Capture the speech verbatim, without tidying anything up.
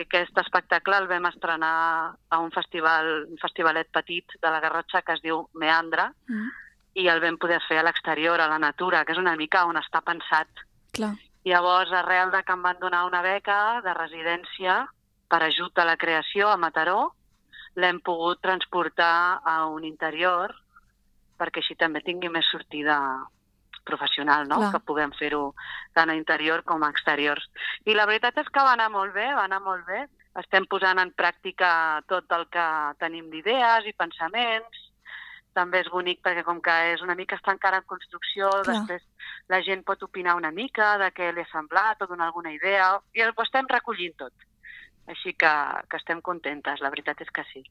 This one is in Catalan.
Aquest espectacle el vam estrenar a un festival, un festivalet petit de la Garrotxa que es diu Meandre, mm. i el vam poder fer a l'exterior, a la natura, que és una mica on està pensat. Clar. Llavors, arrel de que em van donar una beca de residència per ajut a la creació a Mataró, l'hem pogut transportar a un interior perquè així també tingui més sortida professional, no? Clar. Que puguem fer-ho tant a interior com a exteriors. I la veritat és que va anar molt bé, va anar molt bé. Estem posant en pràctica tot el que tenim d'idees i pensaments. També és bonic perquè com que és una mica està encara en construcció, Clar. Després la gent pot opinar una mica de què li ha semblat o donar alguna idea, i ho estem recollint tot. Així que, que estem contentes, la veritat és que sí.